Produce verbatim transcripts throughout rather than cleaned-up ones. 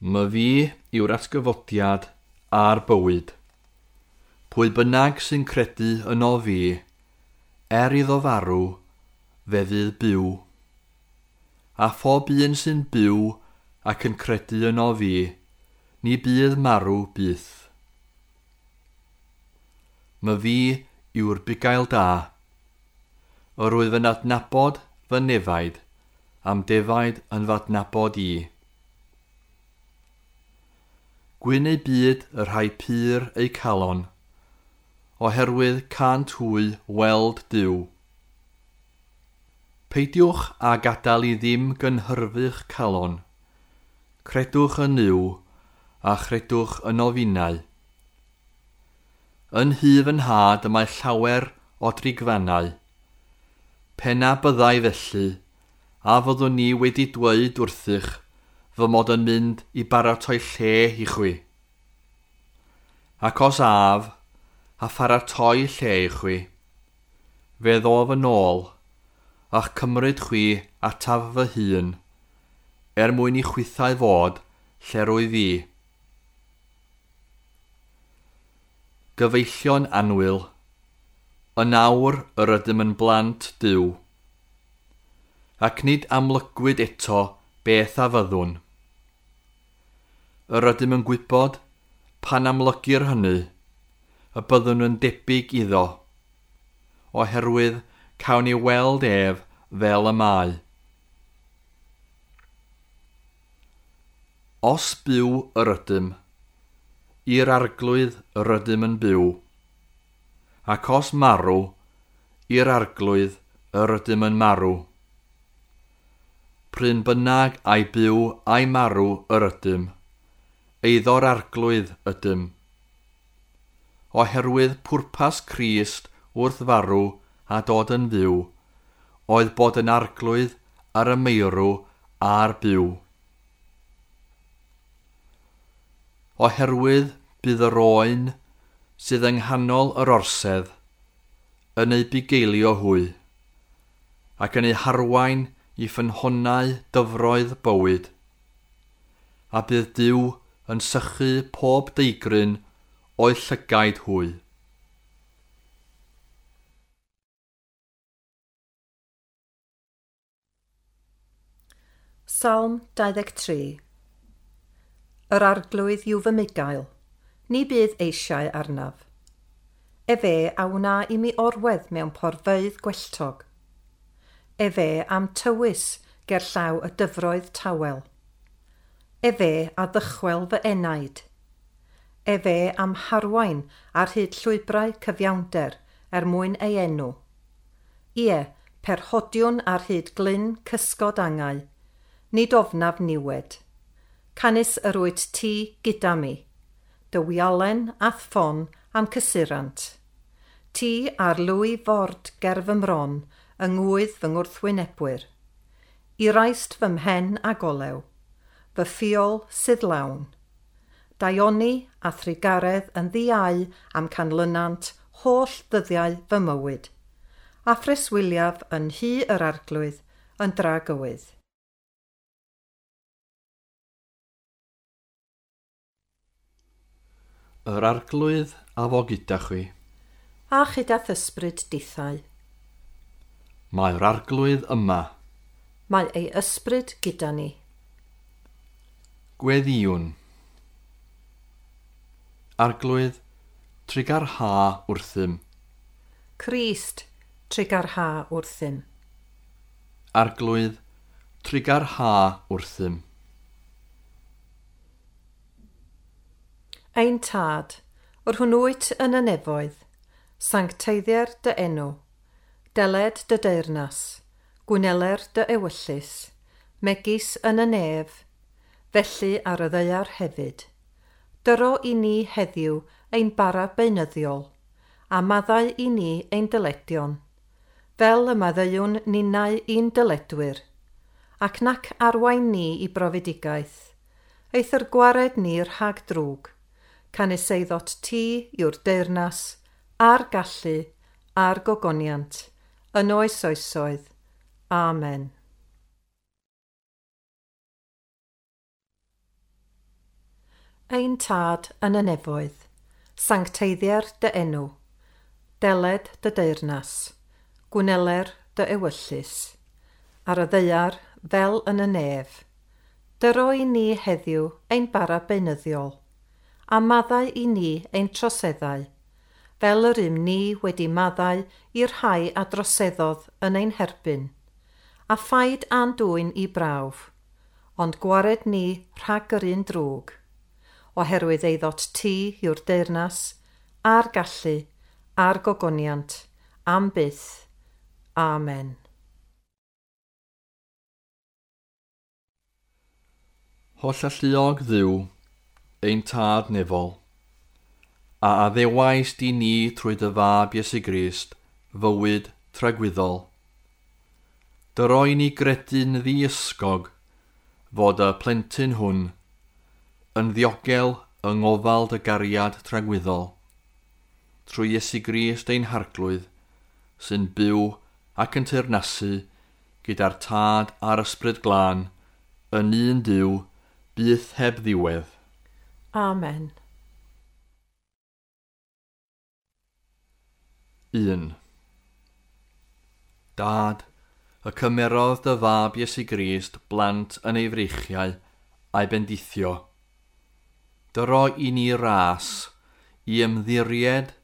Myfi yw'r atgyfodiad a'r bywyd. Pwy bynnag sy'n credu yno fi, er iddo farw, fe fydd byw. A phob un sy'n byw ac yn credu yno fi, ni bydd marw byth. Myfi yw'r bugail da. Yr wyf yn adnabod fy nefaid, am defaid yn fy adnabod i. Gwyn eu byd y rhai pur eu calon, oherwydd cânt hwy weld Duw. Peidiwch â gadael i ddim gynhyrfu'ch calon. Credwch yn Nuw a chredwch yno finnau. Yn nhŷ fy nhad y mae llawer o drigfannau. Pe na byddai felly, a fyddwn ni wedi dweud wrthych fy mod yn mynd i baratoi lle i chwi. Ac os af, a pharatoi lle i chwi, fe ddof yn ôl, a'ch cymryd chwi ataf fy hun, er mwyn i chwithau fod lle rwyf fi. Gyfeillion annwyl, yn awr yr ydym yn blant Duw, ac nid amlygwyd eto beth a fyddwn. Yr ydym yn gwybod, pan amlygir hynny, y byddwn yn debyg iddo, oherwydd cawn ni weld ef fel y mae. Os byw yr ydym, i'r Arglwydd yr ydym yn byw, ac os marw, i'r Arglwydd yr ydym yn marw. Pryn bynnag ai byw ai marw yr ydym, eiddo'r Arglwydd ydym. Oherwydd pwrpas Crist wrth farw a dod yn fyw, oedd bod yn Arglwydd ar y meirw a'r byw. Oherwydd bydd yr oen sydd yng nghanol yr orsedd yn eu bugeilio hwy, ac yn eu harwain i ffynhonnau dyfroedd bywyd, a bydd Duw yn sychu pob deigryn o'u llygaid hwy. Salm dau ddeg tri. Yr Arglwydd yw fy mugail, ni bydd eisiau arnaf. Efe a wna i mi orwedd mewn porfeydd gwelltog. Efe am tywys ger llaw y dyfroedd tawel. Efe a ddychwel fy enaid. Efe am harwain ar hyd llwybrau cyfiawnder er mwyn ei enw. Ie, perhodiwn ar hyd glyn cysgod angau, nid ofnaf niwed. Canys yr wyt ti gyda mi, dy wialen a'th ffon am cysurant. Ti ar lwy ford ger fy mron yng ngwydd fy ngwrthwynebwyr. I raist fy mhen a golew, fy ffiol sydd lawn. Daioni a thrugaredd yn ddiau am canlynant holl ddyddiau fy mywyd, a phreswyliaf yn nhŷ yr Arglwydd yn dragywydd. Yr Arglwydd a fo gyda chwi. A chyda ysbryd dithau. Mae'r Arglwydd yma. Mae ei ysbryd gyda ni. Gweddïwn. Arglwydd, trugarha wrthym. Crist, trugarha wrthym. Arglwydd, trugarha wrthym. Ein Tad, yr hwn wyt yn y nefoedd, sancteiddier dy enw, deled dy deyrnas, gwneler dy ewyllys, megis yn y nef, felly ar y ddaear hefyd. Dyro i ni heddiw ein bara beunyddiol, a maddau i ni ein dyledion, fel y maddeuwn ninnau i'n dyledwyr, ac nac arwain ni i brofedigaeth, eithr gwared ni rhag drwg, canys eiddot ti yw'r deyrnas, a'r gallu, a'r gogoniant, yn oes oesoedd. Amen. Ein Tad yn y nefoedd, sancteiddier dy enw, deled dy deyrnas, gwneler dy ewyllys, ar y ddaear fel yn y nef. Dyro i ni heddiw ein bara beunyddiol, a maddau i ni ein troseddau, fel yr ym ni wedi maddau i'r rhai a droseddodd yn ein herbyn, a phaid a'n dwyn i brawf, ond gwared ni rhag yr un drwg, oherwydd eiddot ti yw'r deyrnas, a'r gallu, a'r gogoniant, am byth. Amen. Hollalluog Dduw, ein Tad nefol, a addewais di ni trwy dy fab Iesu Grist, fywyd tragwyddol. Dyro i ni gredu'n ddiysgog fod y plentyn hwn yn ddiogel yng ngofal dy gariad tragwyddol, trwy Iesu Grist ein Harglwydd, sy'n byw ac yn teyrnasu gyda'r Tad a'r Ysbryd Glân, yn un Duw, byth heb ddiwedd. Amen. Un. Dad, y cymerodd dy fab Iesu Grist blant yn ei freichiau a'i bendithio. Dyro i ni ras i ymddiried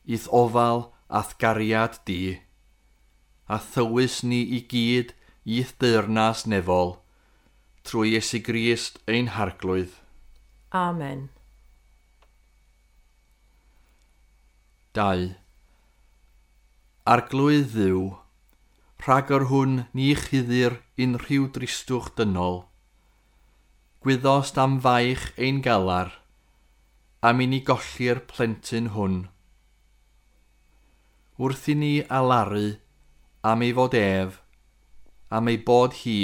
i'th ofal a'th gariad di, a thywys ni i gyd i'th deyrnas nefol, trwy Iesu Grist ein Harglwydd. Amen. Dau. Arglwydd Dduw, rhag yr hwn ni chuddir unrhyw dristwch dynol. Gwyddost am faich ein galar, am i ni golli'r plentyn hwn. Wrth i ni alaru am ei fod ef, am ei bod hi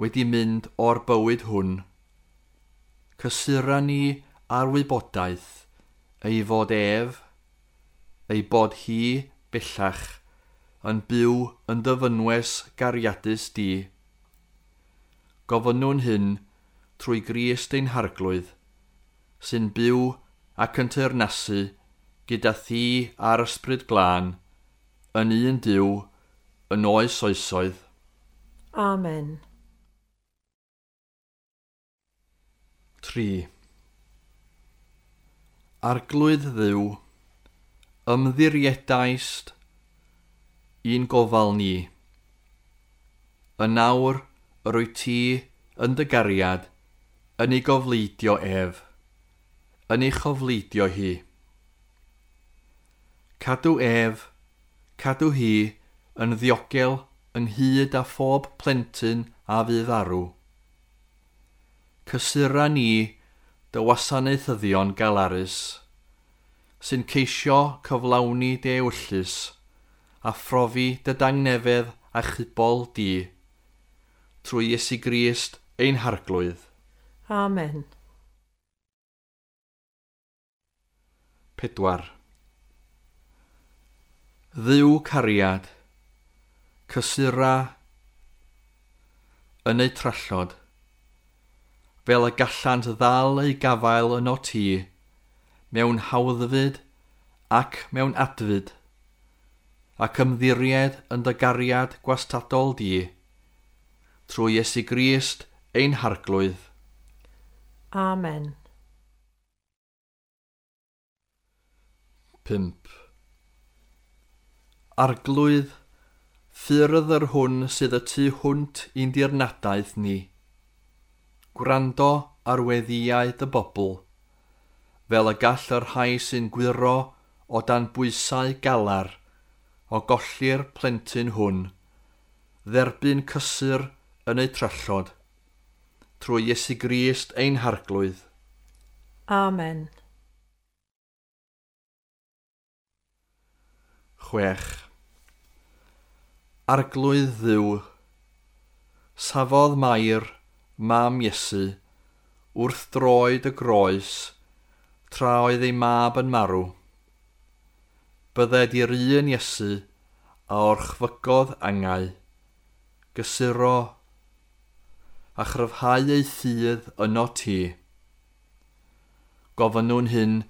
wedi mynd o'r bywyd hwn, cysura ni ar wybodaeth ei fod ef, ei bod hi bellach yn byw yn dy fynwes gariadus di. Gofynnwn hyn trwy Grist ein Harglwydd, sy'n byw ac yn teyrnasu gyda thi a'r Ysbryd Glân, yn un Duw, yn oes oesoedd. Amen. Tri. Arglwydd Dduw, ymddiriedaist i'n gofal ni. Yn nawr yr wyt ti yn dy gariad, yn ei gofleidio ef, yn ei chofleidio hi. Cadw ef, cadw hi yn ddiogel ynghyd â phob plentyn a fydd farw. Cysura ni dy wasanaethyddion galarus, sy'n ceisio cyflawni dy ewyllys a phrofi dy dangnefedd a chubol di, trwy Iesu Grist ein Harglwydd. Amen. Pedwar. Dduw cariad, cysura yn eu trallod, fel y gallant ddal eu gafael yno ti, mewn hawddfyd ac mewn adfyd, ac ymddiried yn dy gariad gwastadol di, trwy Iesu Grist ein Harglwydd. Amen. Pump. Arglwydd, ffyrdd yr hwn sydd y tu hwnt i'n dirnadaeth ni. Gwrando ar weddïau dy bobl, fel y gall y rhai sy'n gwyro o dan bwysau galar o golli'r plentyn hwn, dderbyn cysur yn eu trallod, trwy Iesu Grist ein Harglwydd. Amen. Chwech. Arglwydd Dduw, safodd Mair, mam Iesu, wrth droed y groes, tra oedd ei mab yn marw. Bydded i'r un Iesu a orchfygodd angau, gysuro a chryfhau ei ffydd yno ti. Gofynnwn hyn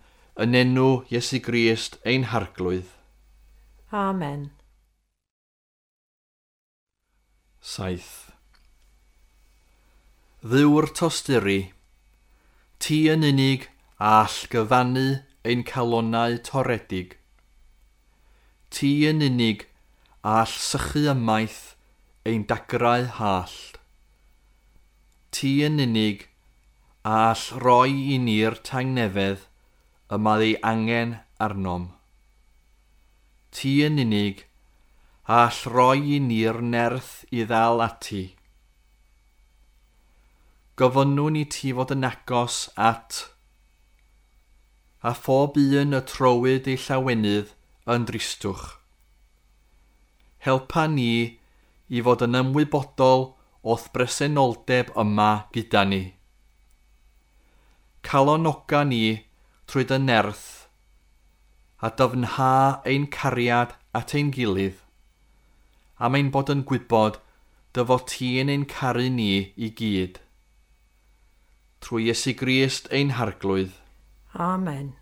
yn enw Iesu Grist ein Harglwydd. Amen. Saith. Dduw'r tosturi, ti yn unig a all gyfannu ein calonnau toredig. Ti yn unig a all sychu ymaith ein dagrau hallt. Ti yn unig a all roi i ni'r tangnefedd y mae ei angen arnom. Ti yn unig a all roi i ni'r nerth i ddal ati. Gofynnwn i ti fod yn agos at a phob un y trowyd ei llawenydd yn dristwch. Helpa ni i fod yn ymwybodol o'th bresenoldeb yma gyda ni. Calonoga ni trwy dy nerth a dyfnha ein cariad at ein gilydd, am ein bod yn gwybod dy fod ti'n ein caru ni i gyd. Trwy Iesu Grist ein Harglwydd. Amen.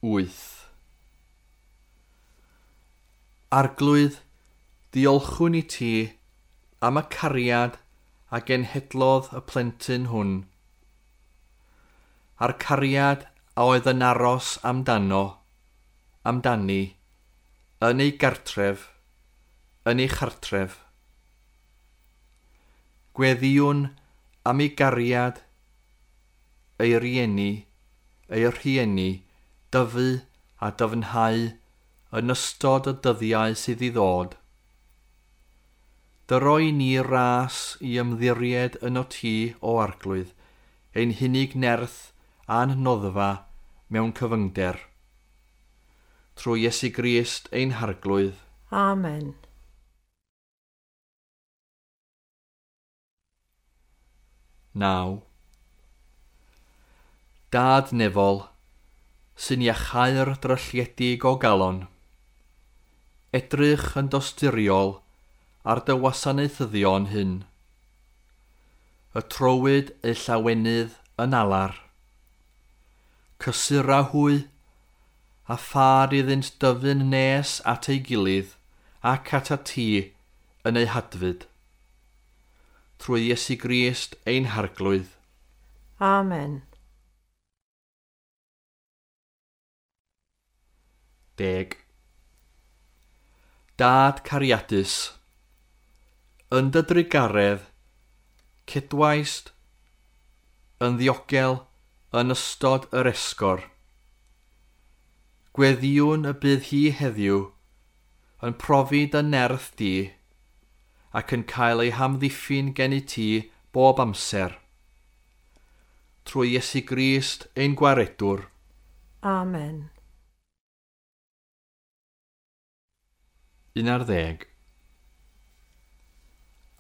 Wyth. Arglwydd, diolchwn i ti am y cariad a genhedlodd y plentyn hwn, a'r cariad a oedd yn aros amdano, amdani, yn ei gartref, yn ei chartref. Gweddïwn am ei gariad, ei rieni, ei rhieni, dyfu a dyfnhau yn ystod y dyddiau sydd i ddod. Dyroi ni ras i ymddiried yno ti, o Arglwydd, ein hunig nerth a'n noddfa mewn cyfyngder. Trwy Iesu Grist ein Harglwydd. Amen. Naw. Dad nefol, sy'n iachau'r drylliedig o galon. Edrych yn dosturiol ar dy wasanaethyddion hyn. Y trowyd eu llawenydd yn alar. Cysura hwy, a phar iddynt dyfu'n nes at ei gilydd ac at a ti yn eu hadfyd. Trwy Iesu Grist ein Harglwydd. Amen. Deg. Dad cariadus, yn dy drugaredd, cedwaist yn ddiogel yn ystod yr esgor. Gweddïwn y bydd hi heddiw yn profi dy nerth di ac yn cael ei hamddiffyn gen i ti bob amser. Trwy Iesu Grist ein Gwaredwr. Amen. Un ar ddeg.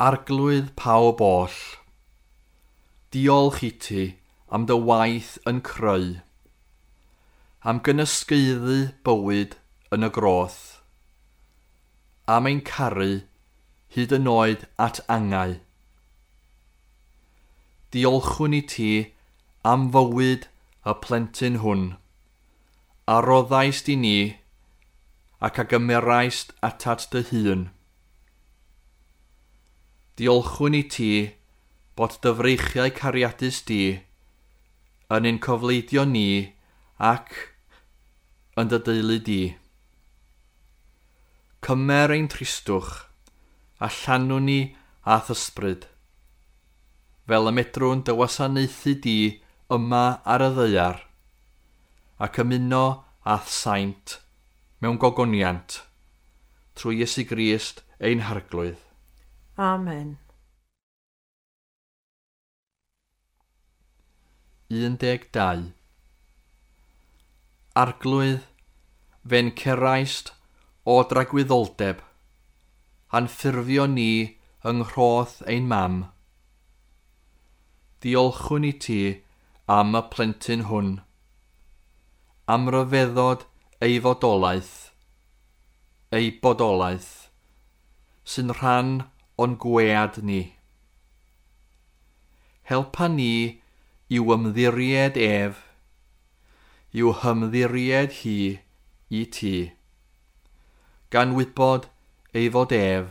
Arglwydd pawb oll, diolch i ti am dy waith yn creu, am gynysgaeddu bywyd yn y groth, am ein caru hyd yn oed at angau. Diolchwn i ti am fywyd y plentyn hwn, a roddaist i ni ac a gymeraist atat dy hun. Diolchwn i ti bod dy freichiau cariadus di yn ein cofleidio ni ac yn dy deulu di. Cymer ein tristwch a llanwn ni a'th ysbryd, fel y medrwn dy wasanaethu di yma ar y ddaear, ac ymuno a'th saint mewn gogoniant, trwy Iesu Grist ein Harglwydd. Amen. Un deg dau. Arglwydd, fe'n ceraist o dragwyddoldeb, a'n ffurfio ni yng nghroth ein mam. Diolchwn i ti am y plentyn hwn, am ryfeddod ei fodolaeth, ei bodolaeth, sy'n rhan o'n gwead ni. Helpa ni i'w ymddiried ef, i'w hymddiried hi i ti, gan wybod ei fod ef,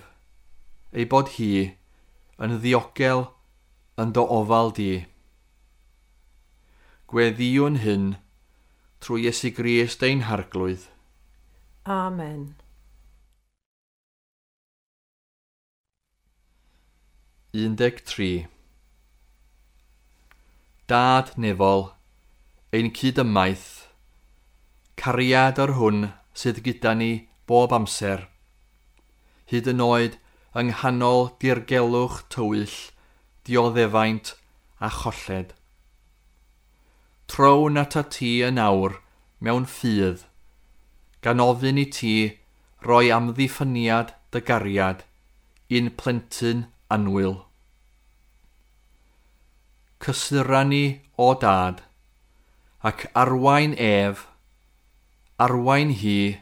ei bod hi, yn ddiogel yn dy ofal di. Gweddïwn hyn trwy Iesu Grist ein Harglwydd. Amen. un deg tri. Dad nefol, ein cydymaith, cariad yr hwn sydd gyda ni bob amser, hyd yn oed yng nghanol dirgelwch tywyll, dioddefaint a cholled. Trown atat ti yn awr mewn ffydd, gan ofyn i ti roi amddiffyniad dy gariad i'n plentyn annwyl. Cysura ni, o Dad, ac arwain ef, arwain hi,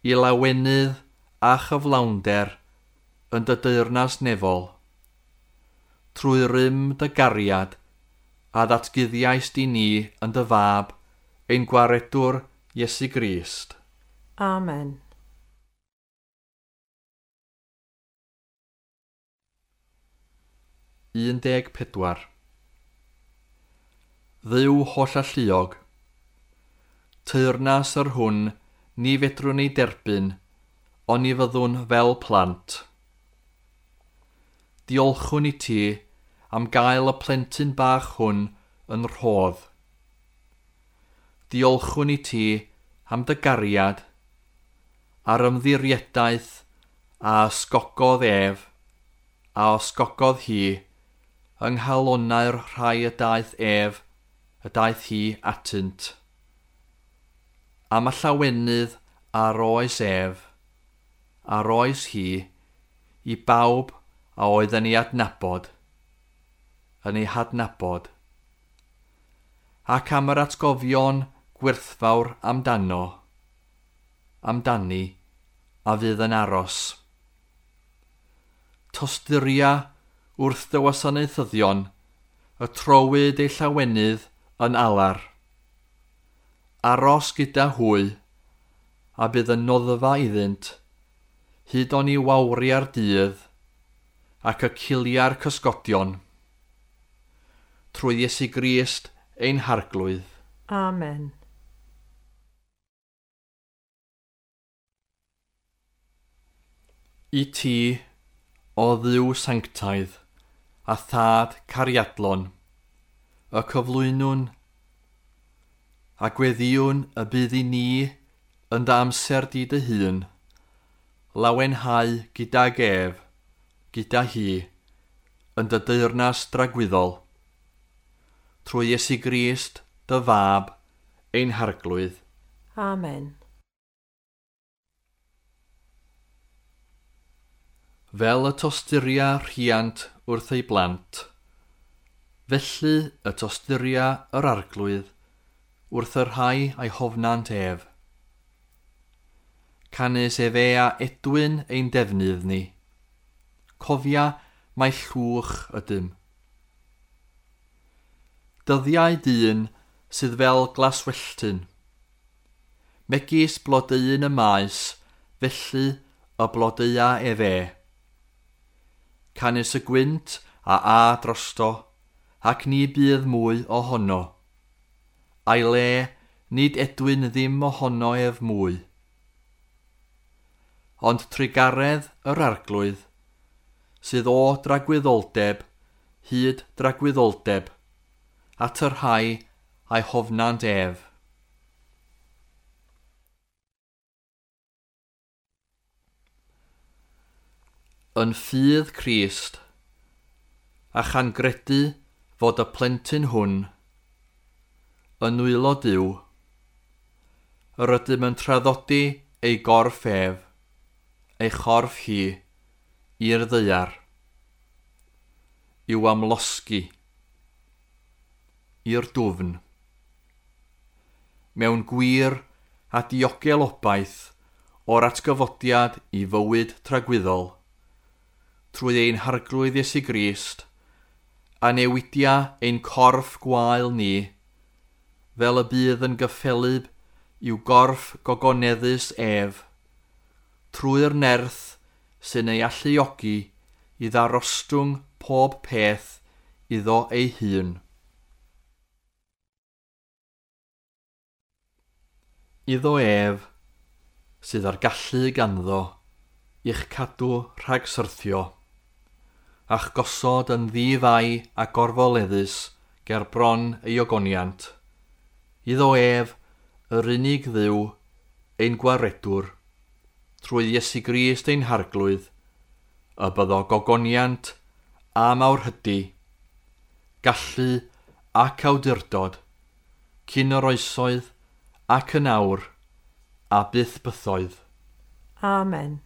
i lawenydd a chyflawnder yn dy deyrnas nefol, trwy rym dy gariad a ddatguddiaist i ni yn dy fab, ein gwaredwr Iesu Grist. Amen. un deg pedwar. Dduw hollalluog, teyrnas yr hwn ni fedrwn ei derbyn, ond ni fyddwn fel plant. Diolchwn i ti am gael y plentyn bach hwn yn rhodd. Diolchwn i ti am dy gariad a'r ymddiriedaeth a ysgogodd ef, a ysgogodd hi, yng nghalonnau'r rhai y daeth ef, y daeth hi atynt. Am y llawenydd a roes ef, a roes hi, i bawb a oedd yn ei adnabod, yn ei hadnabod. Ac am yr atgofion gwerthfawr amdano, amdani, a fydd yn aros. Tosturia wrth dy wasanaethyddion, y trowyd ei llawenydd yn alar. Aros gyda hwy, a bydd yn noddfa iddynt, hyd oni wawria'r dydd, ac y cilia'r cysgodion. Trwy Iesu Grist ein Harglwydd. Amen. I ti, o Dduw sanctaidd, a thad cariadlon, y cyflwynwn, a gweddïwn y bydd i ni yn dy amser di dy hun, lawenhau gydag ef, gyda hi, yn dy deyrnas dragwyddol, trwy Iesu Grist, dy fab, ein Harglwydd. Amen. Fel y tosturia rhiant wrth ei blant, felly y tosturia yr Arglwydd wrth y rhai a'i hofnant ef. Canys efe a edwyn ein defnydd ni. Cofia mai llwch ydym. Dyddiau dyn sydd fel glaswelltyn. Megis blodeuyn y maes, felly y blodeua efe. Canys y gwynt a a drosto, ac ni bydd mwy ohono. A'i le, nid edwyn ddim ohono ef mwy. Ond trugaredd yr Arglwydd, sydd o dragwyddoldeb, hyd dragwyddoldeb, at y rhai a'i hofnant ef. Yn ffydd Crist, a chan gredu fod y plentyn hwn yn nwylo Duw, yr ydym yn traddodi ei gorff ef, ei chorff hi, i'r ddaear, i'w amlosgi, i'r dwfn. Mewn gwir a diogel obaith o'r atgyfodiad i fywyd tragwyddol, trwy ein Harglwydd Iesu Grist, a newidia ein corff gwael ni, fel y bydd yn gyffelyb i'w gorff gogoneddus ef, trwy'r nerth sy'n ei alluogi i ddarostwng pob peth iddo ei hun. Iddo ef, sydd â'r gallu ganddo, i'ch cadw rhag syrthio, a'ch gosod yn ddi-fai a gorfoleddus ger bron ei ogoniant. Iddo ef, yr unig Dduw, ein gwaredwr, trwy Iesu Grist ein Harglwydd, y byddo gogoniant a mawrhydi, gallu ac awdurdod, cyn yr oesoedd ac yn awr, a byth bythoedd. Amen.